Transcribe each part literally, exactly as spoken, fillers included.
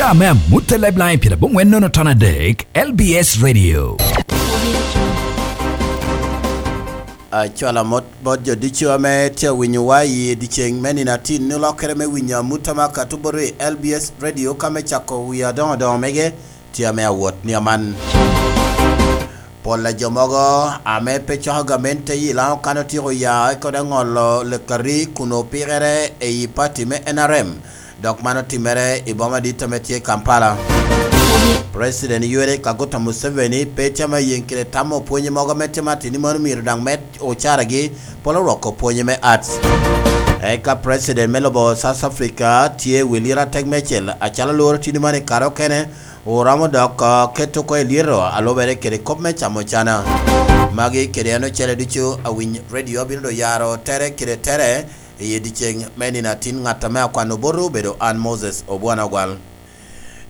Ame amut e Lifeline pyeradek nono ton adek, L B S Radio. Acwalo amot bot jo ducu ame tye awinyowa i dyeceŋ me nino atin, olokere me winyo amut ame akato bot i L B S Radio ka me cako wi adoŋo adoŋo mege tye ame awot ni aman. Pol a jo mogo ame pe coko gamente i Laŋo kan otyeko ya eka ote ŋolo lekari kun opikere i pati me N R M, dok man otimere i boma dit ame tye Kampala. President Yoweri Kaguta Museveni pe tye ame ayeŋ kede tamo pwonye mogo ame tye matini mano myero daŋ med ocaragi polo rwoko pwonye me arts. Eka President me lobo South Africa tye wi liro atek mecel acalo lworo tini mano i kare okene, oromo dok, uh, keto oko i lyeto a lubere kede kop me camo cana. Magi kede en ocele ducu awiny redio abino do yaro tere kede tere i dyeceŋ me nino atin. Ŋat ame akwano botwu obedo an Moses Obwana Ogwal.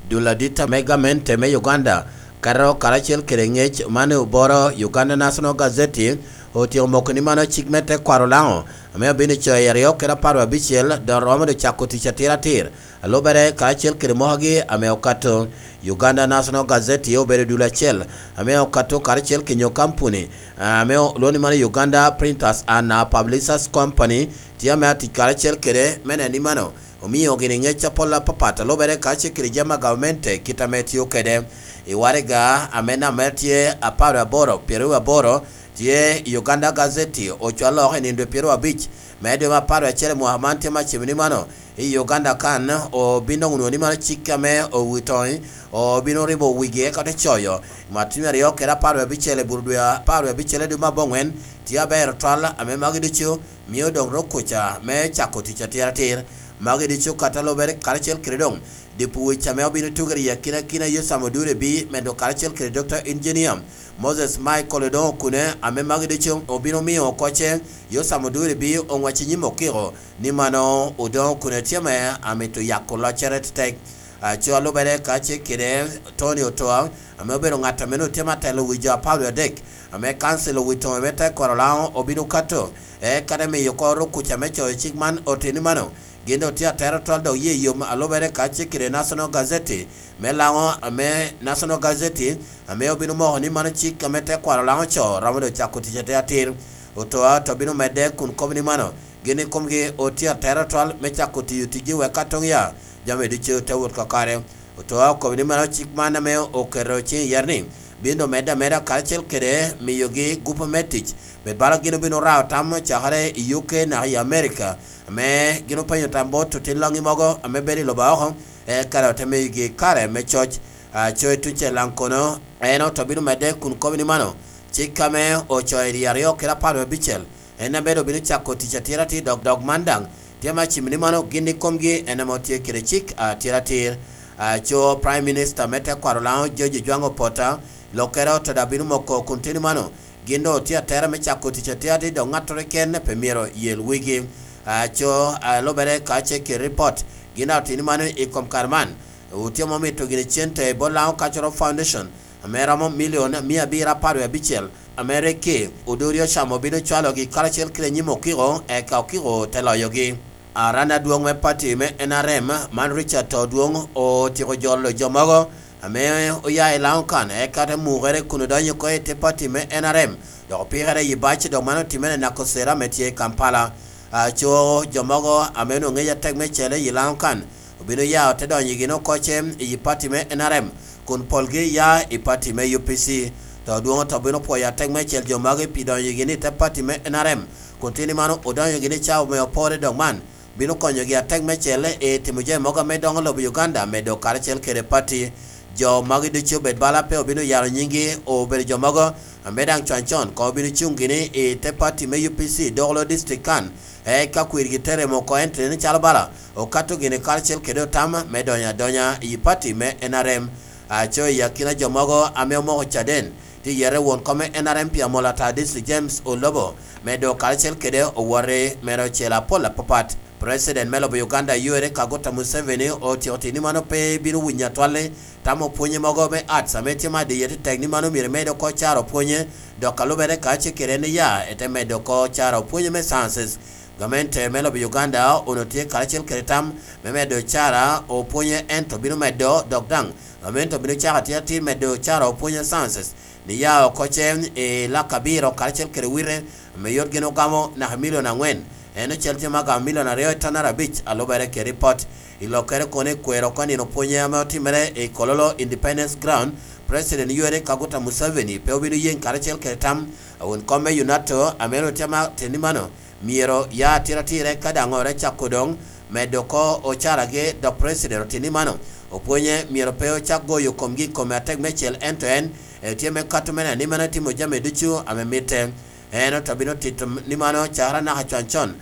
Dul adit ame gamente me Uganda kato karacel kede ŋec man i oboro Uganda National Gazette otyeko moko ni mano cik me tekwaro Laŋo ame obino coyo i aryo kede apar abicel dok romo do cako tic atir atir. A lubere karacel kede mokogi ame okato, Uganda National Gazette obedo dul acel ame okato karacel kenyo kampuni ame olwoŋo ni mano Uganda Printers and, uh, Publishers Company tye ame atic karacel kede me neno ni mano omio gini ŋec apol apapat a lubere karacel kede jami a gamente kit ame tio kede. I waraga ame nambere tye apar aboro, pyeraryo aboro, tye Uganda Gazette ocwalo oko i nino dwe pyeraryo abic me dwe me apar acel i mwaka man tye me acim ni mano i Uganda kan obino nwoŋo ni mano cik ame owitoŋ obino ribo wigi eka te coyo. Matino aryo kede apar abicel i bur dwe apar abicel i dwe me abongwen tye aber otwal ame magi ducu mio doŋ rok kuca me cako tic atir atir. Magi ducu kata lubere karacel kede doŋ dipuwic ame obino tugere i akina kina Yosam Odure bi medo karacel kede Doctor Engineer Moses Michael Odongo Okune, ame magi ducu obino mio oko ce Yosam Oduri bi oŋwec i nyim okiko ni mano Odongo Okune tye ame amito yako loccere tetek. Aco a lubere ka ce kede Tony Otoa, ame obedo ŋat ame nwoŋo tye me atelo wi jo apar wie adek, ame kancil owito me tekwaro Laŋo obino kato, eka te miyo oko ruk kuca me coyo cik man oteni mano. Gin doŋ tye atero tol dok ye yom a lubere ka ce kede National Gazette me Laŋo, ame National Gazette ame obino moko ni mano cik ame tekwaro Laŋo co romo doŋ cako tic atir atir. Otoa to bino medde kun kobo ni mano gin ikomgi otye atero tol me cako tiyo ticgi wek ka toŋ ya jami ducu te wot kakare. Otoa okobo ni mano cik man ame oketo ciŋ i yat ni bino doŋ medde ameda karacel kede miyogi gupu me tic, bed bala gin obino rao tam cakere i U K naka i America, ame gin openyo tam bot otin loŋŋi mogo ame bedo i lobo oko, eka doŋ te miyogi kare me coc. Aco i tucel daŋ kono, en oto bino medde kun kobo ni mano, cik ame ocoyo i dye aryo kede apar wie abicel, en abedo obino cako tic atir atir dok dog man daŋ tye me acim ni mano gin ikomgi en ame otye kede cik atir atir. Aco Prime Minister me tekwaro Laŋo George Ojwang Opota, lokere oto daŋ bino moko kun teni mano, gin doŋ otye atera me cako tic atir atir dok ŋattoro keken pe myero yel wigi. Aco a lubere ka ce kede ripot, gin daŋ oteni mano i kom kare man, otye ma omito gini cente bot Laŋo Cultural Foundation, ame romo milion mia abiro apar wie abicel, ame rik ki Oduri Ocamo bino cwalogi karacel kede nyim okiko, eka okiko te loyogi. Aran adwoŋ me pati me N R M, man Richard Todwong, otyeko jolo jo mogo ame oya i Laŋo kan, eka te mukere kun odonyo oko i te pati me N R M, dok opikere i bac, dok man otimere i Nakosera ame tye i Kampala. Aco jo mogo ame onwoŋo ŋec atek me cele i Laŋo kan, obino ya ote donyo gin oko ce i pati me N R M, kun polgi ya i pati me U P C. Todwong oto bino pwoyo atek me cel jo magi pi donyo gini i te pati me N R M, kun tini mano odonyo gini i cawa me opore dok man bino konyogi atek me cel i timo jami mogo ame doŋo lobo Uganda medo karacel kede pati. Jo magi ducu obed bala pe obino yalo nyinggi, obedo jo mogo ame daŋ con con koŋ obino cuŋ gini i te pati me U P C Dokolo District kan, eka kwirgi te remo oko ento teni calo bala okato gini karacel kede otam me donyo adonya i pati me N R M. Aco i akina jo mogo ame omoko caden, tye yete won kom me N R M pi amol ata District James Olobo, medo karacel kede owoti mere ocel apol apapat. President me lobo Uganda Yoweri Kaguta Museveni otyeko tini mano pe bino winyo atwal ni tamo pwonye mogo me arts ame tye ma diye tetek ni mano myero emed oko caro pwonye, dok a lubere ka ce kede en iya ete medo oko caro pwonye me sciences. Gamente me lobo Uganda onwoŋo tye karacel kede tam me medo ocara opwonye, ento bino medo dok daŋ gamente obino cako atir atir medo ocara opwonye sciences, ni ya oko ce i lak abiro karacel kede wite ame yot gin ogamo naka milion angwen. En ocel tye ma gamo milion aryo i tonere abic, alubere kede ripot. I lokkere kono i kwero oko nino pwonye ame otimere i Kololo Independence Ground, President Yoweri Kaguta Museveni pe obino yeŋ karacel kede tam a won kom me UNATO ame onwoŋo tye ma teni mano myero ya atira atirre ka daŋ ore cako doŋ medo oko ocaragi, dok President oteni mano opwonye myero pe ocak goyo komgi i kome atek meicel, ento en etye me kato mene ni mano etimo jami ducu ame mitte. En ote bino tito ni mano cakere naka con con.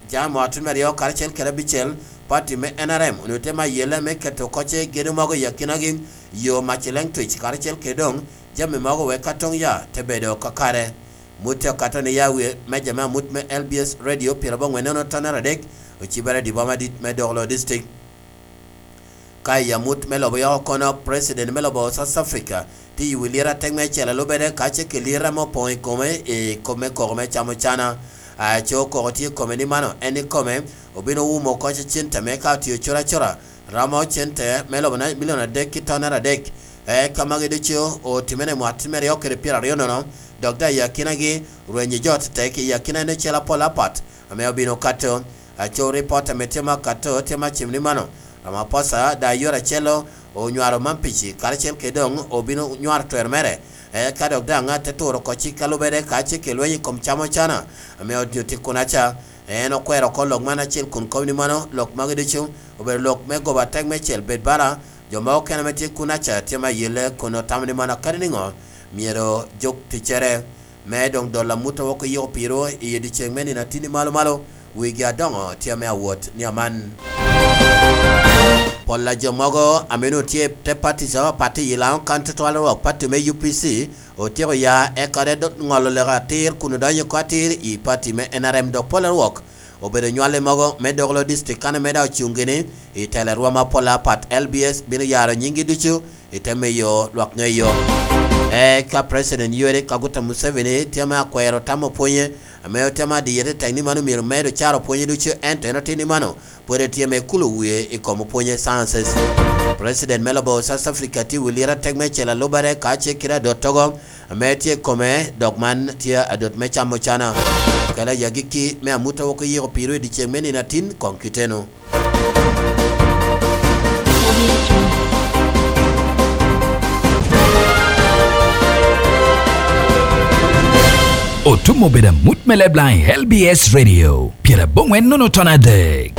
Jami otutmere aryo karacel kede abicel, pati me N R M onwoŋo tye ma yelle me keto oko ce gedo mogo i akinagi, yo mac i Lengtwic karacel kede doŋ jami mogo wek ka toŋ ya te bedo kakare. Mut te okato ni ya wie meja me amut me L B S Radio pyerabongwen nono tonere adek, ocibere i boma dit me Dokolo District. Ka i amut me lobo yoko kono, President me lobo South Africa tye i wi liro atek me acel a lubere ka ce ki liro ame opoŋ i kome i kop me koko me camo cana. Aco koko tye i kome ni mano en i kome obino wumo oko cente me ka otio cura cura, romo cente me lobo na milion adek ki tonere adek. Eka magi ducu otimere i mwaka me ryo kede pyeraryo nono, dok daŋ i akinagi rwenyo jo tetek i akina en ocel apol apat ame obino kato. Aco ripot ame tye ma kato tye ma cim ni mano, Ramaphosa daŋ yore acel onywaro Mampici karacel kede doŋ obino nywaro twer mere. Eka dok daŋ te turo oko cik a lubere ka cik i lweny i kom camo cana ame onyutti kunaca. En okwero oko lok man acel kun kobo ni mano lok magi ducu obedo lok me goba atek meicel bed bala. Jo mogo okene ame tye kunaca tye ma yelle kun otamo ni mano kadi niŋo myero juk ticcere. Me doŋ dolo amut a wok oyiko piro i odyeŋ me nino atinni malo malo, wigi adoŋo tye ame awot ni aman. Pol a jo mogo ame onwoŋo tye i te pati apapat i Lango County twal rwok pati me U P C otyeko ya eka te do-, ŋolo leka atir kun odonyo oko atir i pati me N R M, dok pol a rwok obedo nywale mogo me Dokolo District kan ame daŋ ocuŋ gini i telo rwom apol apat, L B S bino yaro nyiŋgi ducu i te miyo lwak ŋeyo. Eka President Yoweri Kaguta Museveni tye ame akwero tam opwonye, ame otye ame adiye tetek ni mano myero med ocara opwonye ducu, ento en otin ni mano pwod etye ame kulo wie i kom opwonye sciences. President me lobo South Africa tye i wi liro atek me cel alubere ka ce kite adottogo ame tye i kome, dok man tye adot me camo cana. Kela i agikki me amut a wok oyiko piro i dyeceŋ me nino atin koŋ kiteno. Otum obedo amut me Leblang i L B S Radio, pyerabongwen nono ton adek.